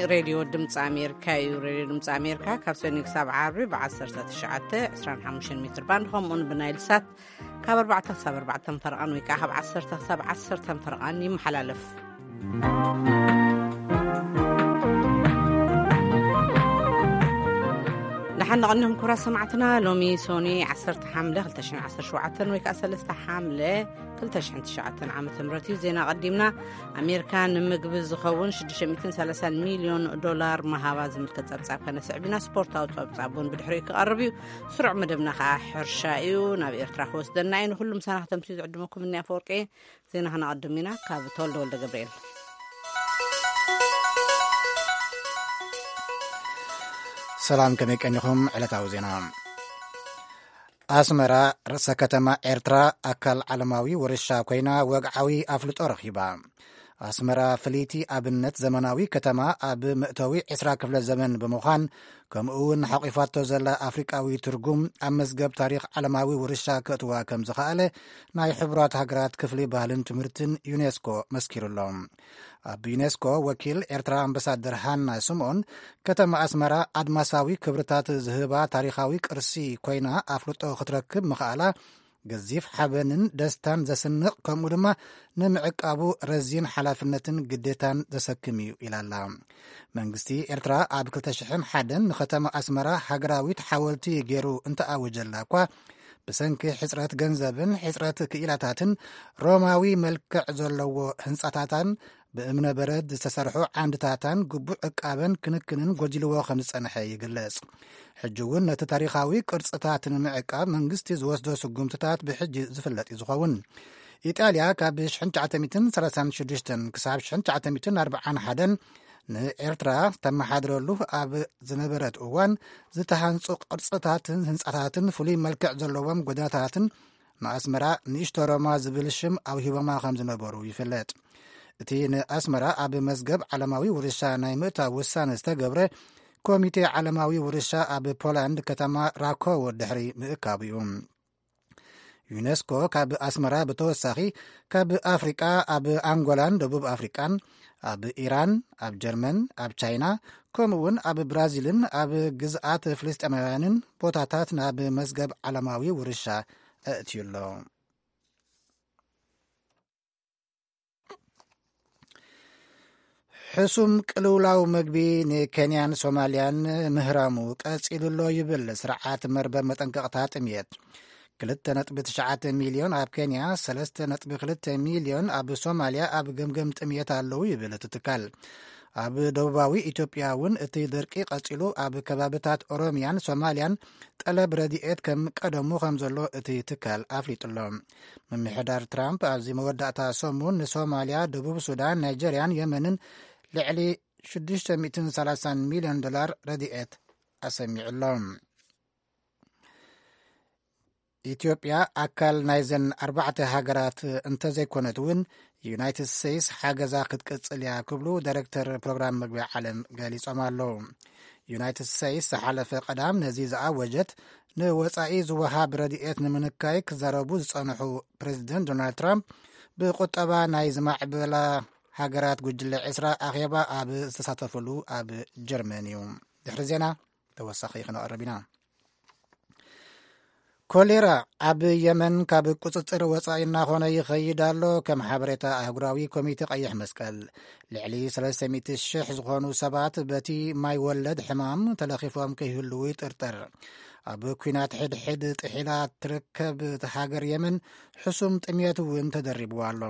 ሬድዮ ድምፂ ኣሜሪካ እዩ። ሬድዮ ድምፂ ኣሜሪካ ካብ ሰኒ ክሳብ ዓርቢ ብ19፣ 25 ሜትር ባንድ፣ ከምኡውን ብናይል ሳት ካብ ኣርባዕተ ክሳብ ኣርባዕተ ፈረቓን ወይ ከዓ ካብ ዓሰርተ ክሳብ ዓሰርተ ፈረቓን ይመሓላለፍ። ደሓን ንቐኒኹም ክቡራት ሰማዕትና። ሎሚ ሶኒ ዓሰርተ ሓምለ ክልተ ሽሕን ዓሰርተ ሸውዓተን ወይ ከዓ ሰለስተ ሓምለ ክልተ ሽሕን ትሽዓተን ዓመተ ምህረት እዩ። ዜና ቀዲምና። ኣሜሪካ ንምግቢ ዝኸውን ሽዱሽተ ሚእትን ሰላሳን ሚልዮን ዶላር መሃባ ዝምልከት ጸብጻብ ከነስዕብ ኢና። ስፖርታዊ ጸብጻብ እውን ብድሕሪኡ ክቐርብ እዩ። ስሩዕ መደብና ከዓ ሕርሻ እዩ። ናብ ኤርትራ ክወስደና እዩ። ንኹሉም ሰናኽተምቲ ዝዕድመኩም እኒ ኣፈወርቂ። ዜና ከነቐድም ኢና። ካብ ተወልደ ወልደ ገብርኤል። ሰላም፣ ከመይ ቀኒኹም? ዕለታዊ ዜና። ኣስመራ፣ ርእሰ ከተማ ኤርትራ፣ ኣካል ዓለማዊ ውርሻ ኮይና ወግዓዊ ኣፍልጦ ረኺባ። ኣስመራ ፍልይቲ ኣብነት ዘመናዊ ከተማ፣ ኣብ መእተዊ ዕስራ ክፍለ ዘመን ብምዃን፣ ከምኡ እውን ሓቂፋቶ ዘላ ኣፍሪቃዊ ትርጉም ኣብ መዝገብ ታሪኽ ዓለማዊ ውርሻ ከእትዋ ከም ዝኸኣለ ናይ ሕቡራት ሃገራት ክፍሊ ባህልን ትምህርትን ዩኔስኮ መስኪሩሎ። ኣብ ዩኔስኮ ወኪል ኤርትራ ኣምባሳደር ሃና ስምኦን፣ ከተማ ኣስመራ ኣድማሳዊ ክብርታት ዝህባ ታሪኻዊ ቅርሲ ኮይና ኣፍልጦ ክትረክብ ምኽኣላ ገዚፍ ሓበንን ደስታን ዘስንቕ፣ ከምኡ ድማ ንምዕቃቡ ረዚን ሓላፍነትን ግዴታን ዘሰክም እዩ ኢላላ። መንግስቲ ኤርትራ ኣብ ክልተ ሽሕን ሓደን ንከተማ ኣስመራ ሃገራዊት ሓወልቲ ገይሩ እንተኣወጀላ እኳ፣ ብሰንኪ ሕጽረት ገንዘብን ሕጽረት ክኢላታትን ሮማዊ መልክዕ ዘለዎ ህንጻታታን ብእምነ በረድ ዝተሰርሑ ዓንድታታን ግቡእ ዕቃበን ክንክንን ጎዲልዎ ከም ዝጸንሐ ይግለጽ። ሕጂ እውን ነቲ ታሪኻዊ ቅርጽታት ንምዕቃብ መንግስቲ ዝወስዶ ስጉምትታት ብሕጂ ዝፍለጥ እዩ ዝኸውን። ኢጣልያ ካብ ሽሕን ትሽዓተ ሚእትን ሰላሳን ሽዱሽተን ክሳብ ሽሕን ትሽዓተ ሚእትን ኣርባዓን ሓደን ንኤርትራ ተመሓድረሉ ኣብ ዝነበረት እዋን፣ ዝተሃንጹ ቅርጽታትን ህንጻታትን ፍሉይ መልክዕ ዘለዎም ጎደናታትን ንኣስመራ ንእሽቶ ሮማ ዝብል ሽም ኣውሂቦማ ከም ዝነበሩ ይፍለጥ። እቲ ንኣስመራ ኣብ መዝገብ ዓለማዊ ውርሻ ናይ ምእታው ውሳነ ዝተገብረ፣ ኮሚቴ ዓለማዊ ውርሻ ኣብ ፖላንድ ከተማ ራኮዎ ድሕሪ ምእካቡ እዩ። ዩኔስኮ ካብ ኣስመራ ብተወሳኺ፣ ካብ ኣፍሪቃ ኣብ ኣንጎላን ደቡብ ኣፍሪቃን፣ ኣብ ኢራን፣ ኣብ ጀርመን፣ ኣብ ቻይና፣ ከምኡ እውን ኣብ ብራዚልን ኣብ ግዝኣት ፍልስጤማውያንን ቦታታት ናብ መዝገብ ዓለማዊ ውርሻ ኣእትዩ ኣሎ። ሕሱም ቅልውላው መግቢ ንኬንያን ሶማልያን ምህራሙ ቀጺሉ ኣሎ ይብል ስርዓት መርበብ መጠንቀቕታ ጥምየት። ክልተ ነጥቢ ትሽዓተ ሚልዮን ኣብ ኬንያ፣ ሰለስተ ነጥቢ ክልተ ሚልዮን ኣብ ሶማልያ ኣብ ገምገም ጥምየት ኣለዉ ይብል እቲ ትካል። ኣብ ደቡባዊ ኢትዮጵያ እውን እቲ ድርቂ ቀጺሉ፣ ኣብ ከባብታት ኦሮሚያን ሶማልያን ጠለብ ረድኤት ከም ቀደሙ ከም ዘሎ እቲ ትካል ኣፍሊጡ ኣሎ። ምምሕዳር ትራምፕ ኣብዚ መወዳእታ ሰሙን ንሶማልያ፣ ደቡብ ሱዳን፣ ናይጀርያን የመንን ልዕሊ ሽዱሽተ ሚእትን ሰላሳን ሚልዮን ዶላር ረድኤት ኣሰሚዑ ኣሎ። ኢትዮጵያ ኣካል ናይዘን ኣርባዕተ ሃገራት እንተዘይኮነት እውን፣ ዩናይትድ ስቴትስ ሓገዛ ክትቅጽል እያ ክብሉ ዳይሬክተር ፕሮግራም መግቢ ዓለም ገሊጾም ኣለዉ። ዩናይትድ ስቴትስ ዝሓለፈ ቀዳም ነዚ ዝኣወጀት፣ ንወጻኢ ዝወሃብ ረድኤት ንምንካይ ክዛረቡ ዝጸንሑ ፕሬዚደንት ዶናልድ ትራምፕ፣ ብቁጠባ ናይ ዝማዕበላ ሃገራት ጉጅለ ዕስራ ኣኼባ ኣብ ዝተሳተፍሉ ኣብ ጀርመን እዩ። ድሕሪ ዜና ተወሳኺ ክነቕርብ ኢና። ኮሌራ ኣብ የመን ካብ ቁጽጽር ወጻኢ እናኾነ ይኸይድ ኣሎ። ከም ሓበሬታ ኣህጉራዊ ኮሚቴ ቀይሕ መስቀል፣ ልዕሊ ሰለስተ ሚእቲ ሽሕ ዝኾኑ ሰባት በቲ ማይ ወለድ ሕማም ተለኺፎም ከይህልዉ ይጥርጠር። ኣብ ኲናት ሕድሕድ ጥሒላ ትርከብ እታ ሃገር የመን፣ ሕሱም ጥምየት እውን ተደሪብዋ ኣሎ።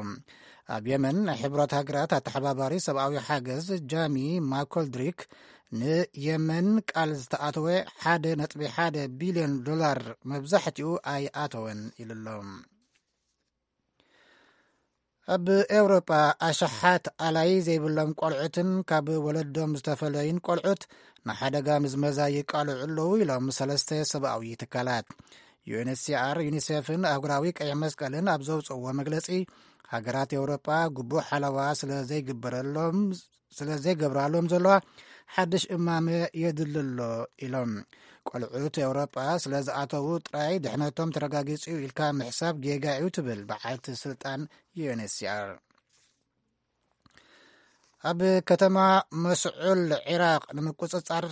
ኣብ የመን፣ ናይ ሕቡራት ሃገራት ኣተሓባባሪ ሰብኣዊ ሓገዝ ጃሚ ማኮልድሪክ፣ ንየመን ቃል ዝተኣተወ ሓደ ነጥቢ ሓደ ቢልዮን ዶላር መብዛሕትኡ ኣይኣተወን ኢሉ ኣሎ። ኣብ ኤውሮጳ፣ ኣሽሓት ኣላይ ዘይብሎም ቆልዑትን ካብ ወለዶም ዝተፈለዩን ቆልዑት ንሓደጋ ምዝመዛ ይቃልዑ ኣለዉ ኢሎም ሰለስተ ሰብኣዊ ትካላት። ዩ ኤን ኤች ሲ ኣር፣ ዩኒሴፍን ኣህጉራዊ ቀይሕ መስቀልን ኣብ ዘውፅእዎ መግለፂ፣ ሃገራት ኤውሮጳ ግቡእ ሓለዋ ስለ ዘይግበረሎም፣ ስለ ዘይገብራሎም ዘለዋ ሓድሽ እማመ የድሊ ኣሎ ኢሎም። ቆልዑት ኤውሮጳ ስለ ዝኣተዉ ጥራይ ድሕነቶም ተረጋጊጹ ኢልካ ምሕሳብ ጌጋ እዩ ትብል በዓልቲ ስልጣን ዩ ኤን ኤች ሲ ኣር። ኣብ ከተማ መስዑል ዒራቕ ንምቁጽጻር፣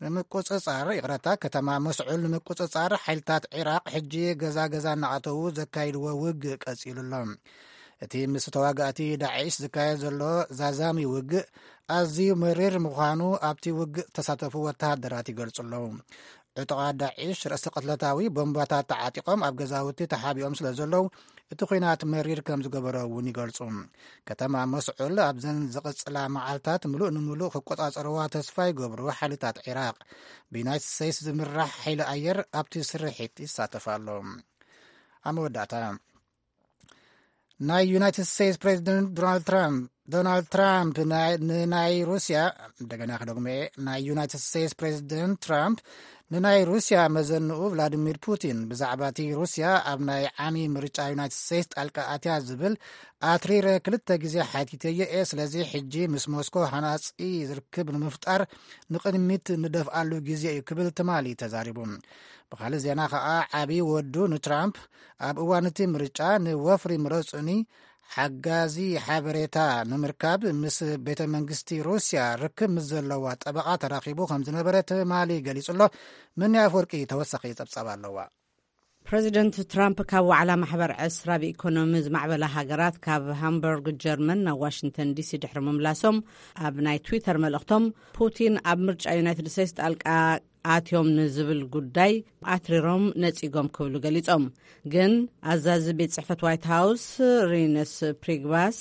ንምቁጽጻር፣ ይቕረታ፣ ከተማ መስዑል ንምቁጽጻር ሓይልታት ዒራቕ ሕጂ ገዛ ገዛ እናኣተዉ ዘካይድዎ ውግእ ቀጺሉ ኣሎ። እቲ ምስ ተዋጋእቲ ዳዒሽ ዝካየድ ዘሎ ዛዛሚ ውግእ ኣዝዩ መሪር ምዃኑ ኣብቲ ውግእ ዝተሳተፉ ወተሃደራት ይገልጹ ኣለዉ። ዕጡቓት ዳዒሽ ርእሰ ቅትለታዊ ቦምባታት ተዓጢቖም ኣብ ገዛውቲ ተሓቢኦም ስለ ዘለዉ፣ እቲ ኲናት መሪር ከም ዝገበሮ እውን ይገልጹ። ከተማ መስዑል ኣብዘን ዝቕጽላ መዓልታት ምሉእ ንምሉእ ክቆጻጸርዋ ተስፋ ይገብሩ ሓይልታት ዒራቕ። ብዩናይትድ ስቴትስ ዝምራሕ ሓይሊ ኣየር ኣብቲ ስርሒት ይሳተፍ ኣሎ። ኣብ መወዳእታ፣ ናይ ዩናይትድ ስቴትስ ፕሬዚደንት ዶናልድ ትራምፕ፣ ዶናልድ ትራምፕ ናይ፣ ንናይ ሩስያ፣ እንደገና ክደግሞ እየ፣ ናይ ዩናይትድ ስቴትስ ፕሬዚደንት ትራምፕ ንናይ ሩስያ መዘንኡ ቭላዲሚር ፑቲን ብዛዕባ እቲ ሩስያ ኣብ ናይ ዓሚ ምርጫ ዩናይትድ ስቴትስ ጣልቃ ኣትያ ዝብል ኣትሪረ ክልተ ግዜ ሓቲተዮ እየ። ስለዚ ሕጂ ምስ ሞስኮ ሃናጺ ዝርክብ ንምፍጣር ንቕድሚት ንደፍኣሉ ግዜ እዩ ክብል ትማሊ ተዛሪቡ። ብኻልእ ዜና ከኣ ዓቢ ወዱ ንትራምፕ ኣብ እዋን እቲ ምርጫ ንወፍሪ ምረጹኒ ሓጋዚ ሓበሬታ ንምርካብ ምስ ቤተ መንግስቲ ሩስያ ርክብ ምስ ዘለዋ ጠበቓ ተራኺቡ ከም ዝነበረ ትማሊ ገሊጹ ኣሎ። ምንያ ኣፈወርቂ ተወሳኺ ጸብጻብ ኣለዋ። ፕረዚደንት ትራምፕ ካብ ዋዕላ ማሕበር ዕስራ ብኢኮኖሚ ዝማዕበላ ሃገራት ካብ ሃምበርግ ጀርመን ናብ ዋሽንግተን ዲሲ ድሕሪ ምምላሶም፣ ኣብ ናይ ትዊተር መልእኽቶም፣ ፑቲን ኣብ ምርጫ ዩናይትድ ስቴትስ ጣልቃ ኣትዮም ንዝብል ጉዳይ ኣትሪሮም ነጺጎም ክብሉ ገሊጾም። ግን ኣዛዚ ቤት ጽሕፈት ዋይት ሃውስ ሪነስ ፕሪግባስ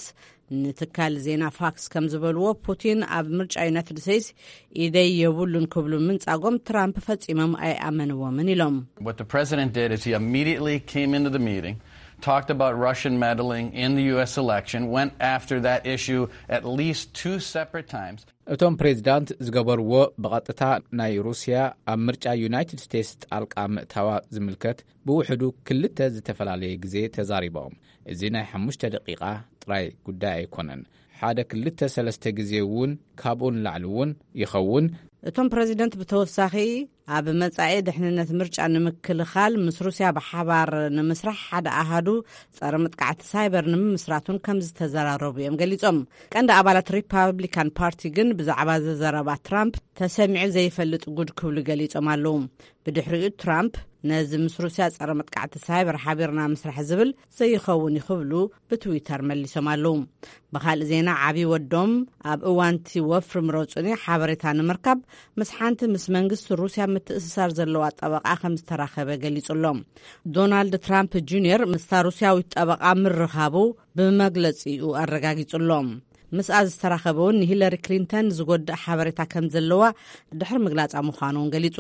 ንትካል ዜና ፋክስ ከም ዝበልዎ፣ ፑቲን ኣብ ምርጫ ዩናይትድ ስቴትስ ኢደይ የብሉን ክብሉ ምንጻጎም ትራምፕ ፈጺሞም ኣይኣመንዎምን ኢሎም። What the president did is he immediately came into the meeting, talked about Russian meddling in the U S election, went after that issue at least two separate times. እቶም ፕሬዚዳንት ዝገበርዎ ብቐጥታ ናይ ሩስያ ኣብ ምርጫ ዩናይትድ ስቴትስ ጣልቃ ምእታዋ ዝምልከት ብውሕዱ ክልተ ዝተፈላለየ ግዜ ተዛሪቦም። እዚ ናይ ሓሙሽተ ደቂቓ ጥራይ ጉዳይ ኣይኮነን። ሓደ ክልተ ሰለስተ ግዜ እውን፣ ካብኡ ንላዕሊ እውን ይኸውን። እቶም ፕረዚደንት ብተወሳኺ፣ ኣብ መጻኢ ድሕንነት ምርጫ ንምክልኻል ምስ ሩስያ ብሓባር ንምስራሕ ሓደ ኣሃዱ ጸረ መጥቃዕቲ ሳይበር ንምምስራት እውን ከም ዝተዘራረቡ እዮም ገሊጾም። ቀንዲ ኣባላት ሪፓብሊካን ፓርቲ ግን ብዛዕባ ዘዘረባ ትራምፕ ተሰሚዑ ዘይፈልጥ ጉድ ክብሉ ገሊጾም ኣለዉ። ብድሕሪኡ ትራምፕ ነዚ ምስ ሩስያ ጸረ መጥቃዕቲ ሳይበር ሓቢርና ምስራሕ ዝብል ዘይኸውን እዩ ክብሉ ብትዊተር መሊሶም ኣለዉ። ብኻልእ ዜና፣ ዓቢ ወዶም ኣብ እዋንቲ ወፍሪ ምረጹኒ ሓበሬታ ንምርካብ ምስ ሓንቲ ምስ መንግስቲ ሩስያ ምትእስሳር ዘለዋ ጠበቓ ከም ዝተራኸበ ገሊጹ ኣሎ። ዶናልድ ትራምፕ ጁኒየር ምስታ ሩስያዊት ጠበቓ ምርኻቡ ብመግለጺኡ ኣረጋጊጹ ኣሎ። ምስኣ ዝተራኸበ እውን ንሂለሪ ክሊንተን ዝጎድእ ሓበሬታ ከም ዘለዋ ድሕሪ ምግላጻ ምዃኑ እውን ገሊጹ።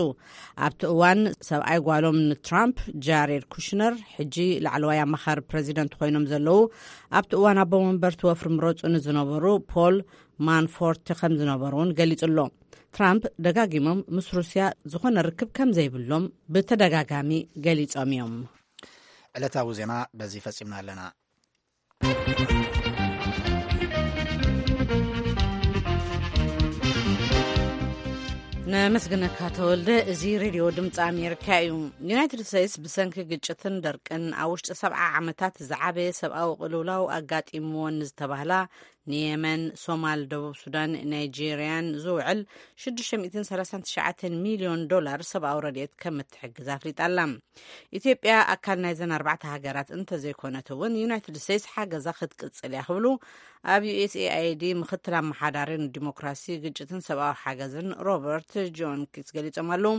ኣብቲ እዋን ሰብኣይ ጓሎም ንትራምፕ፣ ጃሬድ ኩሽነር፣ ሕጂ ላዕለዋይ ኣማኻሪ ፕረዚደንት ኮይኖም ዘለዉ፣ ኣብቲ እዋን ኣቦ መንበርቲ ወፍሪ ምረጹ ንዝነበሩ ፖል ማንፎርት ከም ዝነበሩ እውን ገሊጹ ኣሎ። ትራምፕ ደጋጊሞም ምስ ሩስያ ዝኾነ ርክብ ከም ዘይብሎም ብተደጋጋሚ ገሊጾም እዮም። ዕለታዊ ዜና በዚ ፈጺምና ኣለና። ነመስግነካ ተወልደ። እዚ ሬድዮ ድምፂ ኣሜሪካ እዩ። ዩናይትድ ስቴትስ ብሰንኪ ግጭትን ደርቅን ኣብ ውሽጢ ሰብዓ ዓመታት ዝዓበየ ሰብኣዊ ቅልውላው ኣጋጢምወን ንዝተባህላ ንየመን፣ ሶማል፣ ደቡብ ሱዳን፣ ናይጄርያን ዝውዕል ሽዱሽተ ሚእትን ሰላሳን ትሽዓተን ሚልዮን ዶላር ሰብኣዊ ረድኤት ከም እትሕግዝ ኣፍሊጣ ኣላ። ኢትዮጵያ ኣካል ናይዘን ኣርባዕተ ሃገራት እንተዘይኮነት እውን፣ ዩናይትድ ስቴትስ ሓገዛ ክትቅጽል እያ ክብሉ ኣብ ዩ ኤስ ኤ ኣይ ዲ ምኽትል ኣመሓዳሪ ንዲሞክራሲ፣ ግጭትን ሰብኣዊ ሓገዝን ሮበርት ጆን ኪትስ ገሊጾም ኣለዉ።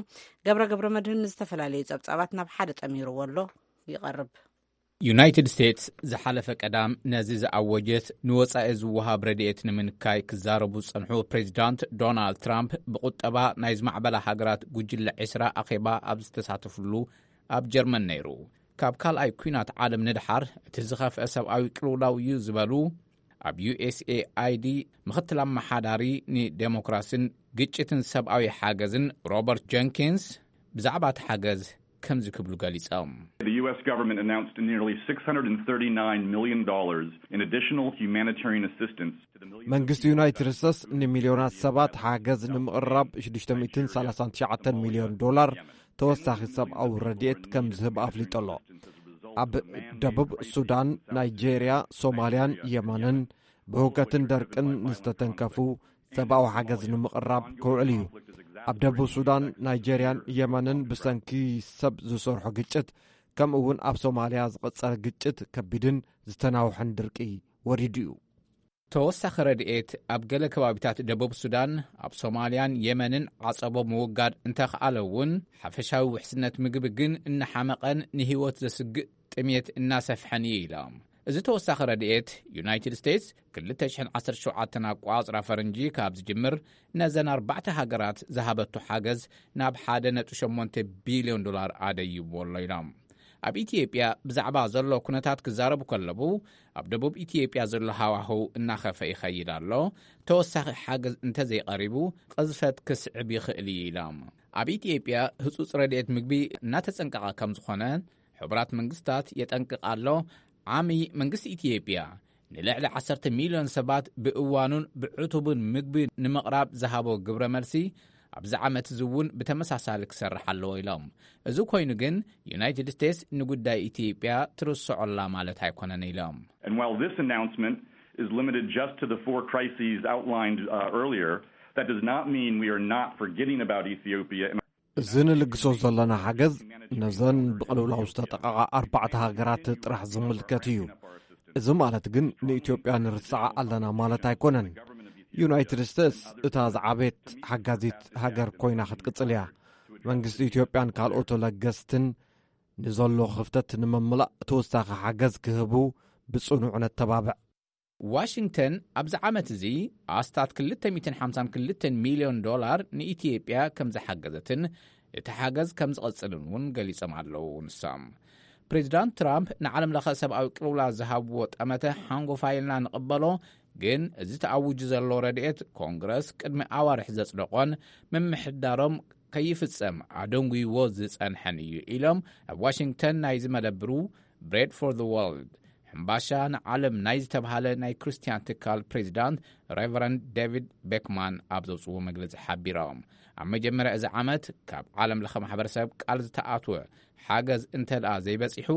ገብረ ገብረ መድህን ንዝተፈላለዩ ጸብጻባት ናብ ሓደ ጠሚርዎ ኣሎ፣ ይቐርብ። ዩናይትድ ስቴትስ ዝሓለፈ ቀዳም ነዚ ዝኣወጀት፣ ንወጻኢ ዝወሃብ ረድኤት ንምንካይ ክዛረቡ ዝጸንሑ ፕሬዚዳንት ዶናልድ ትራምፕ፣ ብቁጠባ ናይ ዝማዕበላ ሃገራት ጉጅለ ዕስራ ኣኼባ ኣብ ዝተሳተፍሉ ኣብ ጀርመን ነይሩ። ካብ ካልኣይ ኲናት ዓለም ንድሓር እቲ ዝኸፍአ ሰብኣዊ ቅልውላው እዩ ዝበሉ ኣብ ዩ ኤስ ኤ ኣይ ዲ ምኽትል ኣመሓዳሪ ንዴሞክራስን ግጭትን ሰብኣዊ ሓገዝን ሮበርት ጀንኪንስ ብዛዕባ እቲ ሓገዝ ከምዚ ክብሉ ገሊጾም። The U S government announced nearly six hundred and thirty-nine million dollars in additional humanitarian assistance to the millions of መንግስቲ ዩናይትድ ስቴትስ ንሚልዮናት ሰባት ሓገዝ ንምቕራብ ሽዱሽተ ሚእትን ሰላሳን ትሽዓተን ሚልዮን ዶላር ተወሳኺ ሰብኣዊ ረድኤት ከም ዝህብ ኣፍሊጡ ኣሎ። ኣብ ደቡብ ሱዳን፣ ናይጄርያ፣ ሶማልያን የመንን ብህውከትን ደርቅን ንዝተተንከፉ ሰብኣዊ ሓገዝ ንምቕራብ ክውዕል እዩ። ኣብ ደቡብ ሱዳን፣ ናይጀርያን የመንን ብሰንኪ ሰብ ዝሰርሖ ግጭት፣ ከምኡ እውን ኣብ ሶማልያ ዝቐጸለ ግጭት ከቢድን ዝተናውሐን ድርቂ ወሪዱ እዩ። ተወሳኺ ረድኤት ኣብ ገለ ከባቢታት ደቡብ ሱዳን፣ ኣብ ሶማልያን የመንን ዓጸቦ ምውጋድ እንተኽኣለ እውን፣ ሓፈሻዊ ውሕስነት ምግቢ ግን እናሓመቐን ንህይወት ዘስግእ ጥሜት እናሰፍሐን እዩ ኢሎም። እዚ ተወሳኺ ረድኤት፣ ዩናይትድ ስቴትስ ክልተ ሽሕን ዓሰርተ ሸውዓተን ኣቋጽራ ፈረንጂ ካብ ዝጅምር፣ ነዘን ኣርባዕተ ሃገራት ዝሃበቶ ሓገዝ ናብ ሓደ ነጥቢ ሸሞንተ ቢልዮን ዶላር ኣደይዎ ኣሎ ኢሎም። ኣብ ኢትዮጵያ ብዛዕባ ዘሎ ኩነታት ክዛረቡ ከለዉ፣ ኣብ ደቡብ ኢትዮጵያ ዘሎ ሃዋህው እናኸፈ ይኸይድ ኣሎ። ተወሳኺ ሓገዝ እንተዘይቐሪቡ፣ ቅዝፈት ክስዕብ ይኽእል እዩ ኢሎም። ኣብ ኢትዮጵያ ህጹጽ ረድኤት ምግቢ እናተጸንቀቐ ከም ዝኾነ ሕቡራት መንግስታት የጠንቅቕ ኣሎ። ዓሚ መንግስቲ ኢትዮጵያ ንልዕሊ ዓሰርተ ሚልዮን ሰባት ብእዋኑን ብዕቱብን ምግቢ ንምቕራብ ዝሃቦ ግብረ መልሲ፣ ኣብዚ ዓመት እዚ እውን ብተመሳሳሊ ክሰርሕ ኣለዎ ኢሎም። እዚ ኮይኑ ግን፣ ዩናይትድ ስቴትስ ንጉዳይ ኢትዮጵያ ትርስዖላ ማለት ኣይኮነን ኢሎም። And while this announcement is limited just to the four crises outlined uh, earlier, that does not mean we are not forgetting about Ethiopia. እዚ ንልግሶ ዘለና ሓገዝ ነዘን ብቕልውላው ዝተጠቐቓ ኣርባዕተ ሃገራት ጥራሕ ዝምልከት እዩ። እዚ ማለት ግን ንኢትዮጵያ ንርስዓ ኣለና ማለት ኣይኮነን። ዩናይትድ ስቴትስ እታ ዝዓበየት ሓጋዚት ሃገር ኮይና ክትቅጽል እያ። መንግስቲ ኢትዮጵያን ካልኦት ለገስትን ንዘሎ ክፍተት ንምምላእ ተወሳኺ ሓገዝ ክህቡ ብጽኑዕ ነተባብዕ። ዋሽንግተን ኣብዚ ዓመት እዚ ኣስታት ክልተ ሚእትን ሓምሳን ክልተን ሚልዮን ዶላር ንኢትዮጵያ ከም ዝሓገዘትን እቲ ሓገዝ ከም ዝቐጽልን እውን ገሊጾም ኣለዉ። ንሶም፣ ፕሬዚዳንት ትራምፕ ንዓለም ለኸ ሰብኣዊ ቅልውላ ዝሃብዎ ጠመተ ሓንጎፋይ ኢልና ንቕበሎ፣ ግን እዚ ተኣውጁ ዘሎ ረድኤት ኮንግረስ ቅድሚ ኣዋርሕ ዘጽደቖን ምምሕዳሮም ከይፍጸም ኣደንጉይዎ ዝጸንሐን እዩ ኢሎም ኣብ ዋሽንግተን ናይዚ መደብሩ ብሬድ ፎር ዘ ወርልድ፣ ሕምባሻ ንዓለም ናይ ዝተብሃለ ናይ ክርስትያን ትካል ፕሬዚዳንት ሬቨረንድ ዴቪድ ቤክማን ኣብ ዘውፅዎ መግለፂ ሓቢሮም። ኣብ መጀመርያ እዚ ዓመት ካብ ዓለም ለኸ ማሕበረሰብ ቃል ዝተኣትወ ሓገዝ እንተ ደኣ ዘይበፂሑ፣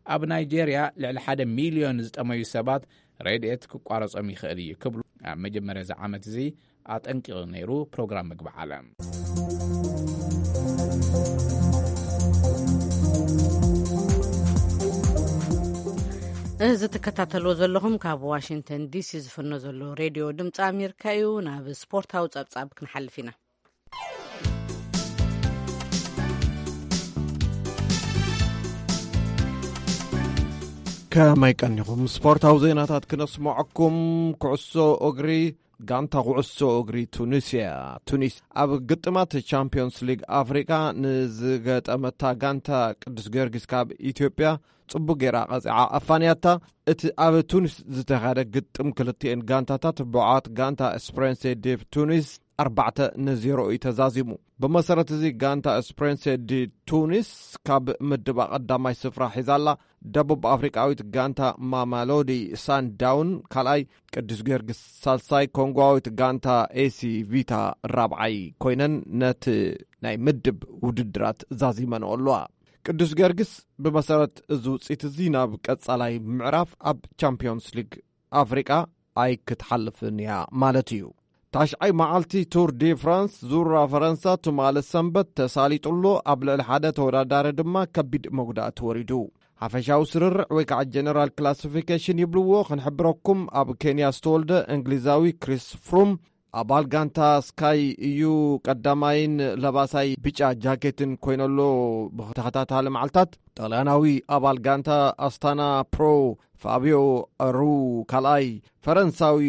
ኣብ ናይጄርያ ልዕሊ ሓደ ሚልዮን ዝጠመዩ ሰባት ረድኤት ክቋረጾም ይኽእል እዩ ክብሉ ኣብ መጀመርያ እዚ ዓመት እዚ ኣጠንቂቑ ነይሩ ፕሮግራም ምግቢ ዓለም። እዚ ትከታተልዎ ዘለኹም ካብ ዋሽንግተን ዲሲ ዝፍኖ ዘሎ ሬድዮ ድምፂ ኣሜሪካ እዩ። ናብ ስፖርታዊ ጸብጻብ ክንሓልፍ ኢና። ከመይ ቀኒኹም? ስፖርታዊ ዜናታት ክነስምዐኩም። ኩዕሶ እግሪ፣ ጋንታ ኩዕሶ እግሪ ቱኒስያ፣ ቱኒስ፣ ኣብ ግጥማት ቻምፒዮንስ ሊግ ኣፍሪቃ ንዝገጠመታ ጋንታ ቅዱስ ጊዮርጊስ ካብ ኢትዮጵያ ጽቡቅ ጌራ ቀጺዓ ኣፋንያታ። እቲ ኣብ ቱኒስ ዝተኻየደ ግጥም ክልቲኤን ጋንታታት ብዓት ጋንታ ስፕሬንሴ ዴቭ ቱኒስ ኣርባዕተ ንዜሮ እዩ ተዛዚሙ። ብመሰረት እዚ ጋንታ ስፕሬንሴ ዲ ቱኒስ ካብ ምድባ ቀዳማይ ስፍራ ሒዛላ። ደቡብ ኣፍሪቃዊት ጋንታ ማማሎዲ ሳንዳውን ካልኣይ፣ ቅዱስ ጊዮርጊስ ሳልሳይ፣ ኮንጓዊት ጋንታ ኤሲ ቪታ ራብዓይ ኮይነን ነቲ ናይ ምድብ ውድድራት ዛዚመንኦ ኣለዋ። ቅዱስ ጊዮርጊስ ብመሰረት እዚ ውፅኢት እዚ ናብ ቀጻላይ ምዕራፍ ኣብ ቻምፒዮንስ ሊግ ኣፍሪቃ ኣይክትሓልፍን እያ ማለት እዩ። ታሽዓይ መዓልቲ ቱር ዲ ፍራንስ ዙራ ፈረንሳ ትማሊ ሰንበት ተሳሊጡ ኣሎ። ኣብ ልዕሊ ሓደ ተወዳዳሪ ድማ ከቢድ መጉዳእቲ ወሪዱ። ሓፈሻዊ ስርርዕ ወይ ከዓ ጀነራል ክላሲፊኬሽን ይብልዎ። ክንሕብረኩም፣ ኣብ ኬንያ ዝተወልደ እንግሊዛዊ ክሪስ ፍሩም ኣባል ጋንታ ስካይ እዩ ቀዳማይን ለባሳይ ብጫ ጃኬትን ኮይነሎ። ብተኸታታሊ መዓልታት ጣልያናዊ ኣባል ጋንታ ኣስታና ፕሮ ፋቢዮ ሩ ካልኣይ፣ ፈረንሳዊ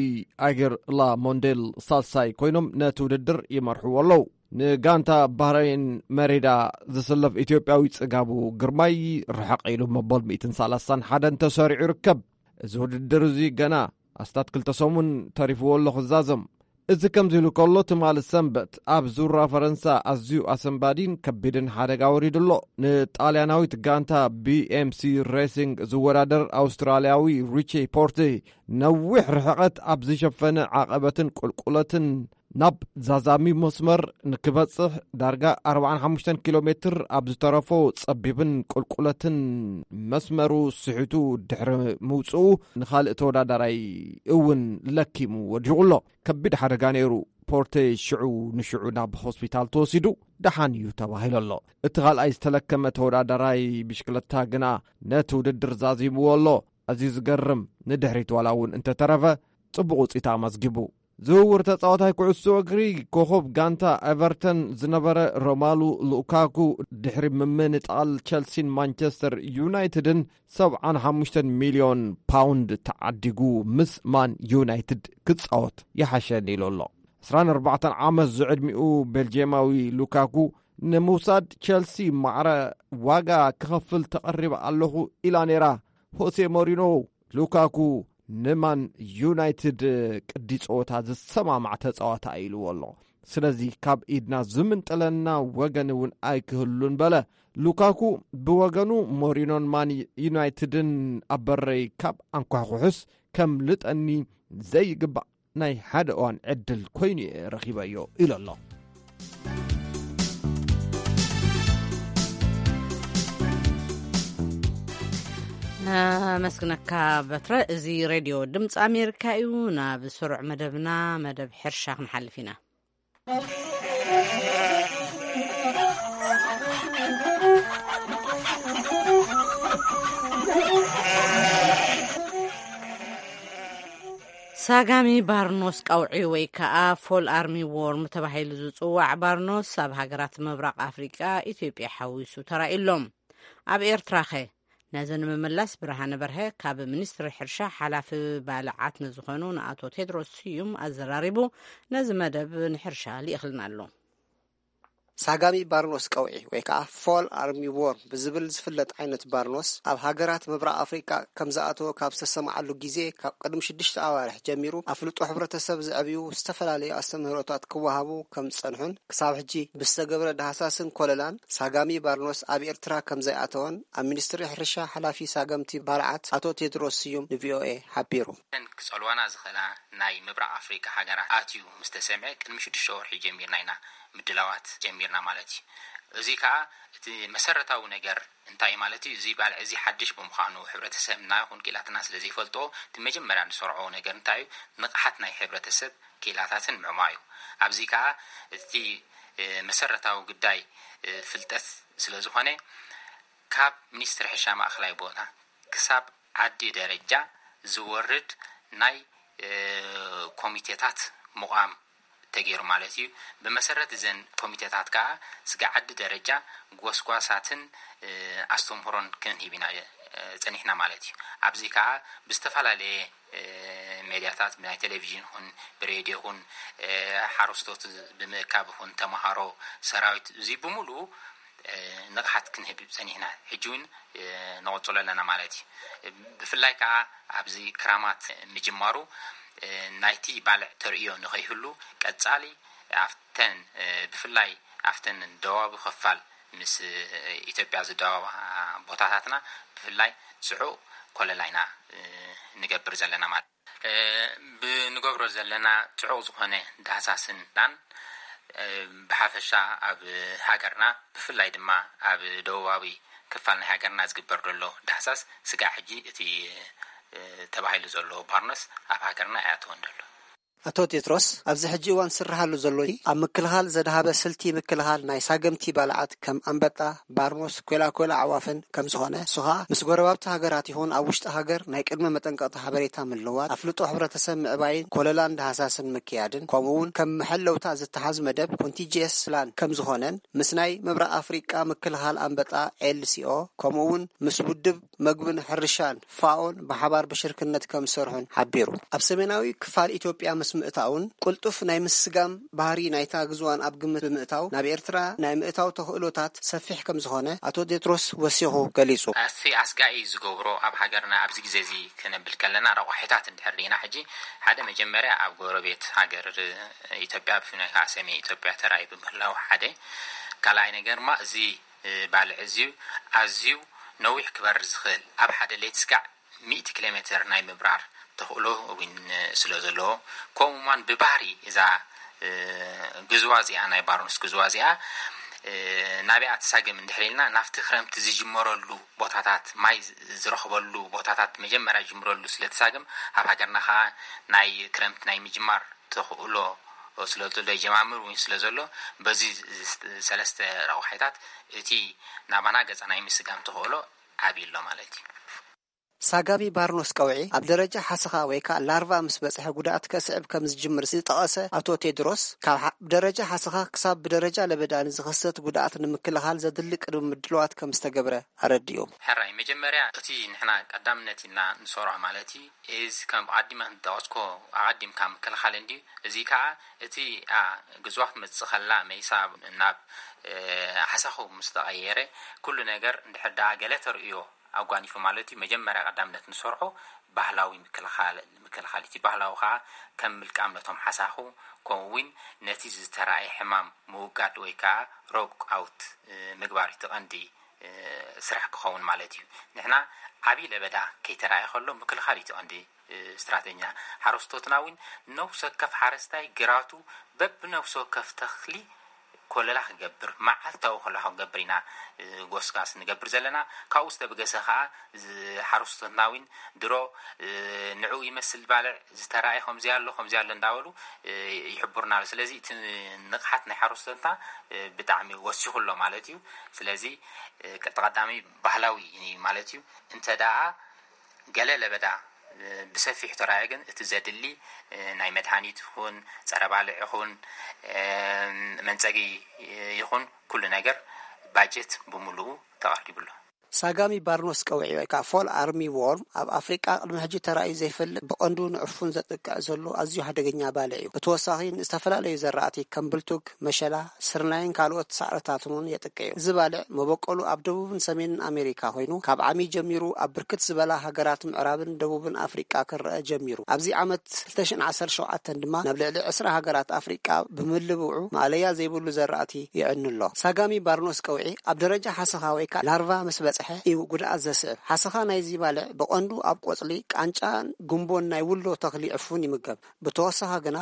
ኣገር ላ ሞንዴል ሳልሳይ ኮይኖም ነቲ ውድድር ይመርሕዎ ኣለዉ። ንጋንታ ባህረይን መሬዳ ዝስለፍ ኢትዮጵያዊ ጽጋቡ ግርማይ ርሕቕ ኢሉ መበል ሚእትን ሰላሳን ሓደን ተሰሪዑ ይርከብ። እዚ ውድድር እዚ ገና ኣስታት ክልተ ሰሙን ተሪፍዎ ኣሎ ክዛዘም። እዚ ከምዚ ኢሉ ከሎ፣ ትማሊ ሰንበት ኣብ ዙራ ፈረንሳ ኣዝዩ ኣሰንባዲን ከቢድን ሓደጋ ወሪዱ ኣሎ። ንጣልያናዊት ጋንታ ቢ ኤም ሲ ሬሲንግ ዝወዳደር ኣውስትራልያዊ ሪቺ ፖርቴ ነዊሕ ርሕቐት ኣብ ዝሸፈነ ዓቐበትን ቁልቁለትን ናብ ዛዛሚ መስመር ንክበጽሕ ዳርጋ ኣርባዓን ሓሙሽተን ኪሎ ሜትር ኣብ ዝተረፎ ጸቢብን ቁልቁለትን መስመሩ ስሒቱ ድሕሪ ምውጽኡ፣ ንኻልእ ተወዳዳራይ እውን ለኪሙ ወዲቑ ኣሎ። ከቢድ ሓደጋ ነይሩ። ፖርቴ ሽዑ ንሽዑ ናብ ሆስፒታል ተወሲዱ ደሓን እዩ ተባሂሉ ኣሎ። እቲ ካልኣይ ዝተለከመ ተወዳዳራይ ብሽክለታ ግና ነቲ ውድድር ዛዚምዎ ኣሎ። ኣዝዩ ዝገርም፣ ንድሕሪት ዋላ እውን እንተተረፈ ጽቡቕ ውጽኢት ኣመዝጊቡ። ዝውውር ተጻዋታይ ኩዕሶ እግሪ፣ ኮኸብ ጋንታ ኤቨርተን ዝነበረ ሮማሉ ሉካኩ፣ ድሕሪ ምምንጣል ቸልሲን ማንቸስተር ዩናይትድን፣ ሰብዓን ሓሙሽተን ሚልዮን ፓውንድ ተዓዲጉ ምስ ማን ዩናይትድ ክጻወት ይሓሸኒ ኢሉ ኣሎ። ዕስራን ኣርባዕተን ዓመት ዝዕድሚኡ ቤልጅየማዊ ሉካኩ፣ ንምውሳድ ቸልሲ ማዕረ ዋጋ ክኸፍል ተቐሪበ ኣለኹ ኢላ ነይራ። ሆሴ ሞሪኖ፣ ሉካኩ ንማን ዩናይትድ ቅዲ ጸወታ ዝሰማማዕ ተጻዋታ ኢልዎ ኣሎ። ስለዚ ካብ ኢድና ዝምንጥለና ወገን እውን ኣይክህሉን በለ። ሉካኩ ብወገኑ፣ ሞሪኖን ማን ዩናይትድን ኣብ በረይ ካብ ኣንኳሕኩሑስ ከምልጠኒ ዘይግባእ ናይ ሓደ እዋን ዕድል ኮይኑ እየ ረኺበዮ ኢሉ ኣሎ። ነመስግነካ በትረ። እዚ ሬድዮ ድምፂ ኣሜሪካ እዩ። ናብ ስሩዕ መደብና፣ መደብ ሕርሻ ክንሓልፍ ኢና። ሳጋሚ ባርኖስ ቀውዒ ወይ ከዓ ፎል ኣርሚ ዎርም ተባሂሉ ዝፅዋዕ ባርኖስ ኣብ ሃገራት ምብራቕ ኣፍሪቃ ኢትዮጵያ ሓዊሱ ተራእዩ ኣሎ። ኣብ ኤርትራ ኸ? ነዚ ንምምላስ ብርሃነ በርሀ ካብ ሚኒስትሪ ሕርሻ ሓላፊ ባልዓት ንዝኾኑ ንኣቶ ቴድሮስ ስዩም ኣዘራሪቡ ነዚ መደብ ንሕርሻ ልኢኽልና ኣሎ። ሳጋሚ ባርኖስ ቀውዒ ወይ ከዓ ፎል ኣርሚ ዎርም ብዝብል ዝፍለጥ ዓይነት ባርኖስ ኣብ ሃገራት ምብራቕ ኣፍሪቃ ከም ዝኣተወ ካብ ዝተሰምዓሉ ግዜ ካብ ቅድሚ ሽዱሽተ ኣዋርሕ ጀሚሩ ኣፍልጦ ሕብረተሰብ ዘዕብዩ ዝተፈላለዩ ኣስተምህሮታት ክወሃቡ ከም ዝጸንሑን ክሳብ ሕጂ ብዝተገብረ ዳህሳስን ኮለላን ሳጋሚ ባርኖስ ኣብ ኤርትራ ከም ዘይኣተወን ኣብ ሚኒስትሪ ሕርሻ ሓላፊ ሳገምቲ ባልዓት ኣቶ ቴድሮስ ስዩም ንቪኦኤ ሓቢሩ። እተን ክጸልዋና ዝኽእላ ናይ ምብራቕ ኣፍሪቃ ሃገራት ኣትዩ ምስ ተሰምዐ ቅድሚ ሽዱሽተ ወርሒ ጀሚርና ኢና ምድላዋት ጀሚርና ማለት እዩ። እዚ ከኣ እቲ መሰረታዊ ነገር እንታይ ማለት እዩ? እዚ ባልዕ እዚ ሓድሽ ብምዃኑ፣ ሕብረተሰብና ይኹን ክኢላትና ስለ ዘይፈልጦ፣ እቲ መጀመርያ ንሰርዖ ነገር እንታይ እዩ? ንቕሓት ናይ ሕብረተሰብ ክኢላታትን ምዕማዩ። ኣብዚ ከኣ እቲ፣ እ፣ መሰረታዊ ጉዳይ፣ እ፣ ፍልጠት ስለ ዝኾነ፣ ካብ ሚኒስትሪ ሕርሻ ማእኸላይ ቦታ ክሳብ ዓዲ ደረጃ ዝወርድ ናይ፣ እ፣ ኮሚቴታት ምቋም ተገይሩ ማለት እዩ። ብመሰረት እዘን ኮሚቴታት ከኣ ስጋዕ ዓዲ ደረጃ ጎስጓሳትን፣ እ፣ ኣስተምህሮን ክንህብ ኢና፣ እ፣ ጸኒሕና ማለት እዩ። ኣብዚ ከኣ ብዝተፈላለየ፣ እ፣ ሜድያታት፣ ብናይ ቴሌቪዥን ይኹን ብሬድዮ ይኹን፣ እ፣ ሓረስቶት ብምእካብ ይኹን ተምሃሮ፣ ሰራዊት፣ እዚ ብምሉኡ፣ እ፣ ንቕሓት ክንህብ ጸኒሕና። ሕጂ እውን፣ እ፣ ንቕጽሎ ኣለና ማለት እዩ። ብፍላይ ከኣ ኣብዚ ክራማት ምጅማሩ፣ እ፣ ናይቲ ባልዕ ተርእዮ ንኸይህሉ ቀጻሊ ኣብተን፣ እ፣ ብፍላይ ኣብተን ደቡባዊ ክፋል ምስ፣ እ፣ ኢትዮጵያ ዝደባባ ቦታታትና ብፍላይ ጽዑቕ ኮለላ ኢና፣ እ፣ ንገብር ዘለና ማለት። እ፣ ብንገብሮ ዘለና ጽዑቕ ዝኾነ ዳህሳስን ዳን፣ እ፣ ብሓፈሻ ኣብ ሃገርና ብፍላይ ድማ ኣብ ደቡባዊ ክፋል ናይ ሃገርና ዝግበር ዘሎ ዳህሳስ ስጋዕ ሕጂ እቲ፣ እ፣ ተባሂሉ ዘሎ ባርኖስ ኣብ ሃገርና ኣይኣተወን ዘሎ። ኣቶ ቴድሮስ፣ ኣብዚ ሕጂ እዋን ዝስርሓሉ ዘሎ ኣብ ምክልኻል ዘድሃበ ስልቲ ምክልኻል ናይ ሳገምቲ ባልዓት ከም ኣንበጣ፣ ባርኖስ፣ ኮላኮላ ኣዕዋፍን ከም ዝኾነ፣ እሱ ኸኣ ምስ ጎረባብቲ ሃገራት ይኹን ኣብ ውሽጢ ሃገር ናይ ቅድመ መጠንቀቕታ ሓበሬታ ምልዋጥ፣ ኣፍልጦ ሕብረተሰብ ምዕባይን ኮለላን ዳህሳስን ምክያድን፣ ከምኡ እውን ከም መሐለውታ ዝተሓዝ መደብ ኮንቲንጀንሲ ፕላን ከም ዝኾነን፣ ምስ ናይ ምብራቕ ኣፍሪቃ ምክልኻል ኣንበጣ ኤል ሲ ኦ፣ ከምኡ እውን ምስ ውድብ መግብን ሕርሻን ፋኦን ብሓባር ብሽርክነት ከም ዝሰርሑን ሓቢሩ። ኣብ ሰሜናዊ ክፋል ኢትዮጵያ ምስ ምእታውን ቅልጡፍ ናይ ምስጋም ባህሪ ናይታ ግዝዋን ኣብ ግምት ብምእታው፣ ናብ ኤርትራ ናይ ምእታው ተኽእሎታት ሰፊሕ ከም ዝኾነ ኣቶ ቴድሮስ ወሲኹ ገሊጹ። እቲ ኣስጋኢ ዝገብሮ ኣብ ሃገርና ኣብዚ ግዜ እዚ ክነብል ከለና ረቋሒታት እንድሕር ዲና፣ ሕጂ ሓደ መጀመርያ ኣብ ጎረቤት ሃገር ኢትዮጵያ፣ ብፍላይ ከዓ ሰሜን ኢትዮጵያ ተራእዩ ብምህላው ሓደ፣ ካልኣይ ነገር ድማ እዚ እ፣ ባልዕ እዚ ኣዝዩ ነዊሕ ክበርር ዝኽእል፣ ኣብ ሓደ ሌት ስጋዕ ሚእቲ ኪሎ ሜትር ናይ ምብራር ተኽእሎ እውን ስለ ዘለዎ፣ ከምኡ እዋን ብባህሪ እዛ ግዝዋ እዚኣ፣ ናይ ባርኖስ ግዝዋ እዚኣ ናበይኣ ትሳገም እንድሕር ኢልና፣ ናብቲ ክረምቲ ዝጅመረሉ ቦታታት፣ ማይ ዝረኽበሉ ቦታታት መጀመርያ ጅምረሉ ስለ ትሳገም፣ ኣብ ሃገርና ከዓ ናይ ክረምቲ ናይ ምጅማር ተኽእሎ ስለ ዘሎ፣ ይጀማምር እውን ስለ ዘሎ፣ በዚ ሰለስተ ረቑሓይታት እቲ ናባና ገፃ ናይ ምስጋም ተኽእሎ ዓብዪ ኣሎ ማለት እዩ። ሳጋሚ ባርኖስ ቀውዒ ኣብ ደረጃ ሓሰኻ ወይ ከዓ ላርቫ ምስ በፅሐ ጉድኣት ከስዕብ ከም ዝጅምር ዝጠቐሰ ኣቶ ቴድሮስ፣ ካብ ደረጃ ሓሰኻ ክሳብ ብደረጃ ለበዳ ንዝኸሰት ጉድኣት ንምክልኻል ዘድሊ ቅድሚ ምድለዋት ከም ዝተገብረ ኣረዲኡ። ሕራይ፣ መጀመርያ እቲ ንሕና ቀዳምነት ኢልና ንሰርዖ ማለት እዩ፣ እዚ ከም ኣዲመ ንጠቐስኮ ኣቐዲምካ ምክልኻል እንድዩ። እዚ ከዓ እቲ ግዝዋ ክትመፅእ ከላ መይሳ ናብ ሓሳኹ ምስ ተቐየረ፣ ኩሉ ነገር እንድሕር ደኣ ገለ ተርእዮ ኣጓኒፉ ማለት እዩ። መጀመርያ ቀዳምነት ንሰርዖ ባህላዊ ምክልኻል፣ ምክልኻል እቲ ባህላዊ ከዓ ከም ምልቃም ነቶም ሓሳኹ፣ ከምኡ እውን ነቲ ዝተረኣየ ሕማም ምውጋድ ወይ ከዓ ሮግ ኣውት ምግባር እቲ ቀንዲ ስራሕ ክኸውን ማለት እዩ። ንሕና ዓብዪ ለበዳ ከይተረኣየ ከሎ ምክልኻል እዩ እቲ ቀንዲ ስትራተኛ። ሓረስቶትና እውን ነፍሲ ወከፍ ሓረስታይ ግራቱ በብነፍሲ ወከፍ ተኽሊ ኮለላ ክገብር፣ መዓልታዊ ኮለላ ክገብር ኢና ጎስጋስ ንገብር ዘለና። ካብኡ ዝተበገሰ ከዓ ሓረስቶትና እውን ድሮ ንዕኡ ይመስል ባልዕ ዝተረኣየ ከምዚ ኣሎ ከምዚ ኣሎ እንዳበሉ ይሕብሩና ኣሎ። ስለዚ እቲ ንቕሓት ናይ ሓረስቶትና ብጣዕሚ ወሲኹ ኣሎ ማለት እዩ። ስለዚ ቀዳሚ ባህላዊ ማለት እዩ። እንተ ደኣ ገለ ለበዳ ብሰፊሑ ተራእየ ግን እቲ ዘድሊ ናይ መድሃኒት ይኹን ጸረ ባልዕ ይኹን መንጸጊ ይኹን ኩሉ ነገር ባጀት ብምሉኡ ተቐሪቡ ኣሎ። ሳጋሚ ባርኖስ ቀውዒ ወይ ከዓ ፎል ኣርሚ ዎርም ኣብ ኣፍሪቃ ቅድሚ ሕጂ ተራእዩ ዘይፈልጥ ብቐንዱ ንዕፉን ዘጥቅዕ ዘሎ ኣዝዩ ሓደገኛ ባልዕ እዩ። ብተወሳኺ ንዝተፈላለዩ ዘራእቲ ከም ብልቱግ፣ መሸላ፣ ስርናይን ካልኦት ሳዕርታትን እውን የጥቅዕ እዩ። እዚ ባልዕ መበቆሉ ኣብ ደቡብን ሰሜንን ኣሜሪካ ኮይኑ ካብ ዓሚ ጀሚሩ ኣብ ብርክት ዝበላ ሃገራት ምዕራብን ደቡብን ኣፍሪቃ ክረአ ጀሚሩ። ኣብዚ ዓመት ክልተ ሽሕን ዓሰርተ ሸውዓተን ድማ ናብ ልዕሊ ዕስራ ሃገራት ኣፍሪቃ ብምልብዑ ማእለያ ዘይብሉ ዘራእቲ የዕኑ ኣሎ። ሳጋሚ ባርኖስ ቀውዒ ኣብ ደረጃ ሓሰኻ ወይ ከዓ ላርቫ ምስ በፅሐ እዩ ጉድኣት ዘስዕብ። ሓሰኻ ናይዚ ባልዕ ብቐንዱ ኣብ ቆፅሊ፣ ቃንጫን ጉንቦን ናይ ውሎ ተኽሊ ዕፉን ይምገብ። ብተወሳኺ ግና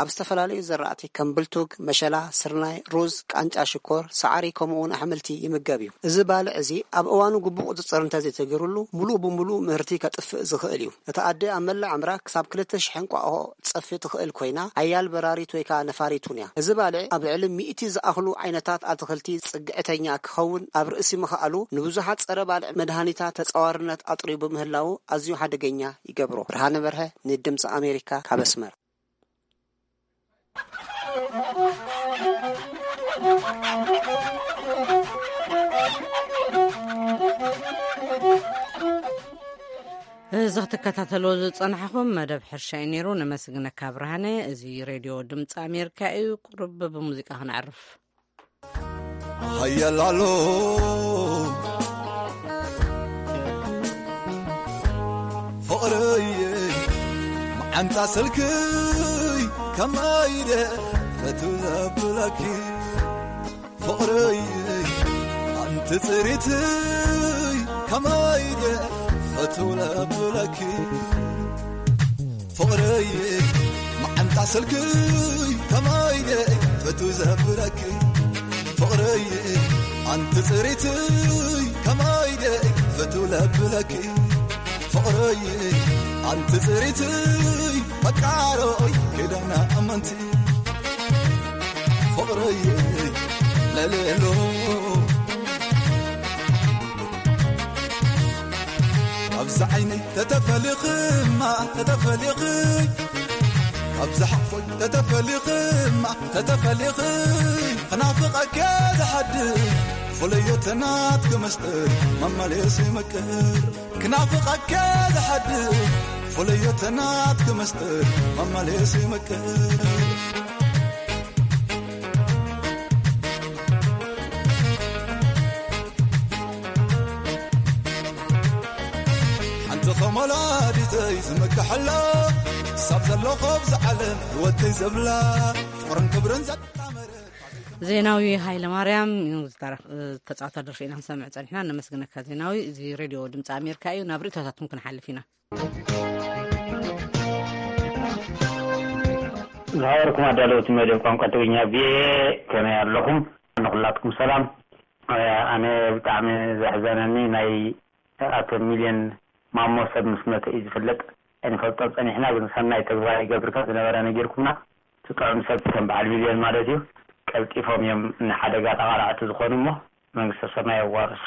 ኣብ ዝተፈላለዩ ዘራእቲ ከም ብልቱግ፣ መሸላ፣ ስርናይ፣ ሩዝ፣ ቃንጫ ሽኮር፣ ሳዕሪ ከምኡ እውን ኣሕምልቲ ይምገብ እዩ። እዚ ባልዕ እዚ ኣብ እዋኑ ግቡእ ቁፅፅር እንተዘይተገይሩሉ ሙሉእ ብሙሉእ ምህርቲ ከጥፍእ ዝኽእል እዩ። እታ ኣደ ኣብ መላእ ዕምራ ክሳብ ክልተ ሽሕ እንቋቑሖ ትፀፊ ትኽእል ኮይና ሓያል በራሪት ወይ ከዓ ነፋሪት እውን እያ። እዚ ባልዕ ኣብ ልዕሊ ሚእቲ ዝኣኽሉ ዓይነታት ኣትኽልቲ ፅግዕተኛ ክኸውን ኣብ ርእሲ ምኽኣሉ ንብዙሓት ፀረ ባልዕ መድሃኒታት ተፃዋርነት ኣጥርዩ ብምህላዉ ኣዝዩ ሓደገኛ ይገብሮ። ብርሃነ በርሀ ንድምፂ ኣሜሪካ ካብ ኣስመራ። እዚ ክትከታተልዎ ዝጸናሕኹም መደብ ሕርሻ እዩ ነይሩ። ነመስግነካ ብርሃነ። እዚ ሬድዮ ድምፂ ኣሜሪካ እዩ። ቁሩብ ብሙዚቃ ክነዕርፍ። ሃየላሎ ፍቕረይ መዓንጣ ስልክይ ከመይ ኢለ ፈቱ ዘብለኪ ፍቕረይ ኣንቲ ጽሪትይ ከመይ ኢለ ፈቱ ለብለኪ ፍቕረይ መዓንጣ ስልክይ ከመይ ኢለ ፈቱ ዘብለኪ ፍቕረይ ኣንቲ ጽሪትይ ከመይ ኢለ ፈቱ ለብለኪ ፍቕረይ ኣንቲ ጽሪትይ ፈቃሮይ ኪዳና ኣመንቲ ፍቕረይ ለሌሎ ኣብዚ ዓይነይ ተተፈሊኽማ ተተፈሊኽይ ኣብዚ ሓፎይ ተተፈሊኽማ ተተፈሊኽይ ክናፍቐከ ዝሓድር ፍለዮተናት ክመስጥር መመሌስ ይምቅር ክናፍቐከ ዝሓድር ፍለዮተናት ክመስጥር መመሌስ ይምቅር ሓንቲ ከም ወላዲተይ ዝምክሐላ ክሳብ ዘለኹ ኣብዚ ዓለም ህይወተይ ዘብላ ፍቕርን ክብርን ዘጣመረ ዜናዊ ሃይለ ማርያም ዝተጻወታ ደርፊ ኢና ክንሰምዕ ጸኒሕና። ነመስግነካ ዜናዊ። እዚ ሬድዮ ድምፂ ኣሜሪካ እዩ። ናብ ርእቶታትኩም ክንሓልፍ ኢና። ዝኸበርኩም ኣዳለውቲ መደብ ቋንቋ ትግርኛ ቪኦኤ፣ ከመይ ኣለኹም? ንኹላትኩም ሰላም። ኣነ ብጣዕሚ ዘሕዘነኒ ናይ ኣቶ ሚልዮን ማሞ ሰብ ምስ መተ እዩ ዝፍለጥ። ኣይንፈልጦን ጸኒሕና፣ ግን ሰናይ ተግባር ይገብር ከም ዝነበረ ነጊርኩምና። እቲ ጥዑም ሰብ ከም በዓል ሚልዮን ማለት እዩ። ቀልጢፎም እዮም ንሓደጋ ተቓላዕቲ ዝኾኑ እሞ መንግስተ ሰማይ የዋርሶ።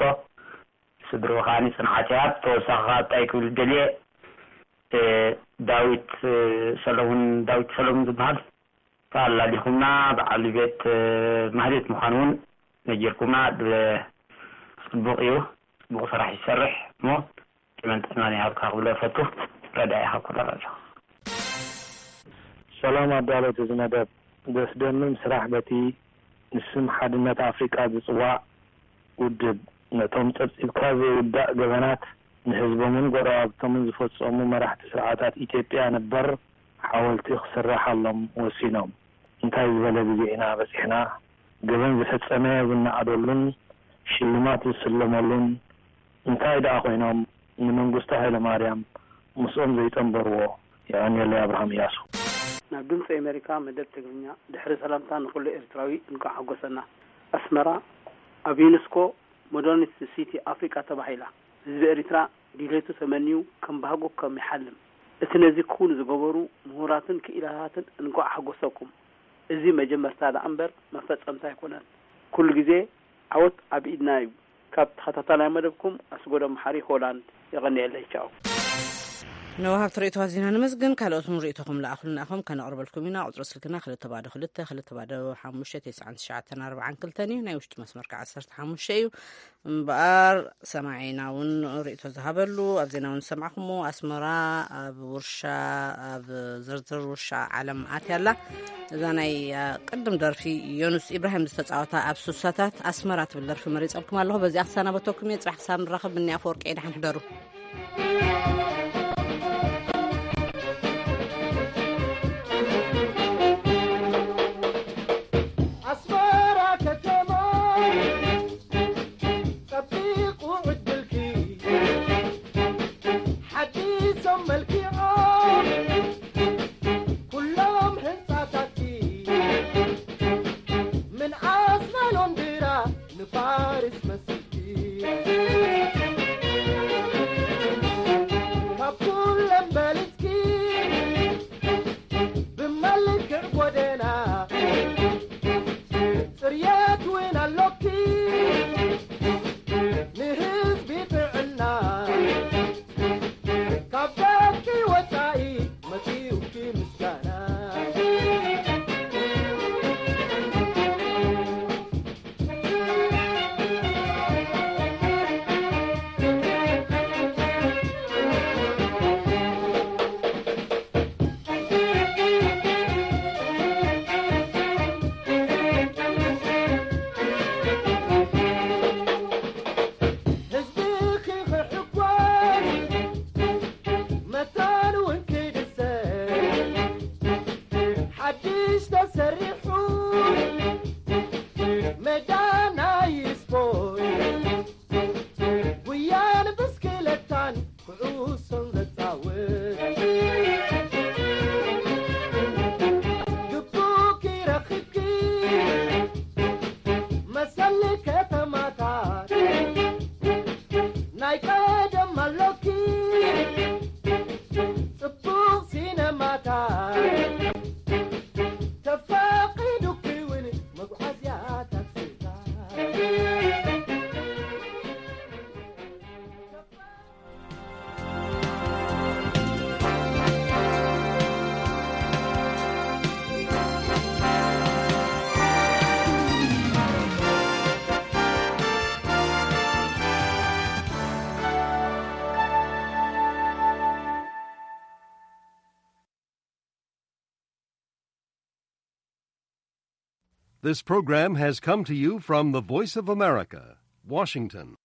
ስድርኡ ከኣ ጽንዓት ይሃብ። ተወሳኺ ከኣ እንታይ ክብል ደልየ፣ እ፣ ዳዊት፣ እ፣ ሰለሙን፣ ዳዊት ሰለሙን ዝበሃል ኣላሊኹምና። በዓል ቤት፣ እ፣ ማህሌት ምዃኑ እውን ነጊርኩምና። ብ-፣ ጽቡቕ እዩ። ጽቡቕ ስራሕ ይሰርሕ እሞ ዕድመን ጥዕናን ይሃብካ ክብሎ እፈቱ። ረዳኢ ካብ ኮሎራዶ። ሰላም ኣዳለውቲ እዚ መደብ። ዘስደምም ስራሕ በቲ ንስም ሓድነት ኣፍሪቃ ዝጽዋዕ ውድብ፣ ነቶም ጸብጺብካ ዘይውዳእ ገበናት ንህዝቦምን ጎረባብቶምን ዝፈጸሙ መራሕቲ ስርዓታት ኢትዮጵያ ነበር ሓወልቲ ክስረሓሎም ወሲኖም። እንታይ ዝበለ ግዜ ኢና በጺሕና? ገበን ዝፈጸመ ዝነኣደሉን ሽልማት ዝስለመሉን እንታይ ደኣ ኮይኖም ንመንግስቱ ሃይለማርያም ምስኦም ዘይጸንበርዎ? የቐንየለይ። ኣብርሃም እያሱ። ናብ ድምፂ ኣሜሪካ መደብ ትግርኛ፣ ድሕሪ ሰላምታ ንኹሉ ኤርትራዊ እንኳዕ ሓጎሰና። ኣስመራ፣ ኣብ ዩኔስኮ ሞደርኒስት ሲቲ ኣፍሪቃ ተባሂላ። ህዝቢ ኤርትራ ድሌቱ ተመንዩ ከም ባህጉ ከም ይሓልም። እቲ ነዚ ክውን ዝገበሩ ምሁራትን ክኢላታትን እንኳዕ ሓጎሰኩም። እዚ መጀመርታ ደኣ እምበር መፈጸምታ ኣይኮነን። ኩሉ ግዜ ዓወት ኣብ ኢድና እዩ። ካብ ተኸታታላይ መደብኩም ኣስጎዶም ሓሪ ሆላንድ። የቐንየለይ። ቻው። ንወሃብቲ ርእይቶታት ዜና ነመስግን። ካልኦት እውን ርእይቶኹም ለኣኹልና ኢኹም፣ ከነቕርበልኩም ኢና። ቁጽሪ ስልክና ክልተ ባዶ ክልተ፣ ክልተ ባዶ ሓሙሽተ፣ ተስዓን ትሽዓተን ኣርባዓን ክልተን እዩ። ናይ ውሽጢ መስመር ከዓ ዓሰርተ ሓሙሽተ እዩ። እምበኣር ሰማዒና እውን ርእይቶ ዝሃበሉ፣ ኣብ ዜና እውን ዝሰማዕኩሞ፣ ኣስመራ ኣብ ውርሻ፣ ኣብ ዝርዝር ውርሻ ዓለም ኣትያ ኣላ። እዛ ናይ፣ አ፣ ቅድም ደርፊ ዮኑስ ኢብራሂም ዝተጻወታ ኣብ ሱሳታት ኣስመራ ትብል ደርፊ መሪጸልኩም ኣለኹ። በዚኣ ክሰናበተኩም እየ። ጽባሕ ክሳብ ንራኸብ፣ ብኒ ኣፈወርቂ እየ። ደሓን ሕደሩ። ኣስመራ ከተማ ጸቢቑ ዕድልኪ ሓዲሶም መልኪዖም ኩሎም ህንጻታትኪ ምንኣስ ናይ ሎንድራ ንፓሪስ መስልኪ ካብ ኩለን በልጽኪ ብመልክዕ ጎደና ጽርየት እውን ኣሎኪ ንህዝቢ ጥዕና ካብ ደቂ ወጻኢ መጺኡኪ ምስጋና። ህዝብኺ ክሕጎስ መታን እውን ክድሰት ሓድሽ ተሰሪሑ ሜዳ ናይ ስፖርት ጉያን ብስክለታን ኩዕሶን ዘጻውት ግቡእ ክረኽብኪ መሰል ከተማታት ናይ ቀደም ኣሎኪ ጽቡቕ ሲነማታት ተፈቒዱኪ እውን መጓዓዝያ ታክሲታት። This program has come to you from the Voice of America, Washington.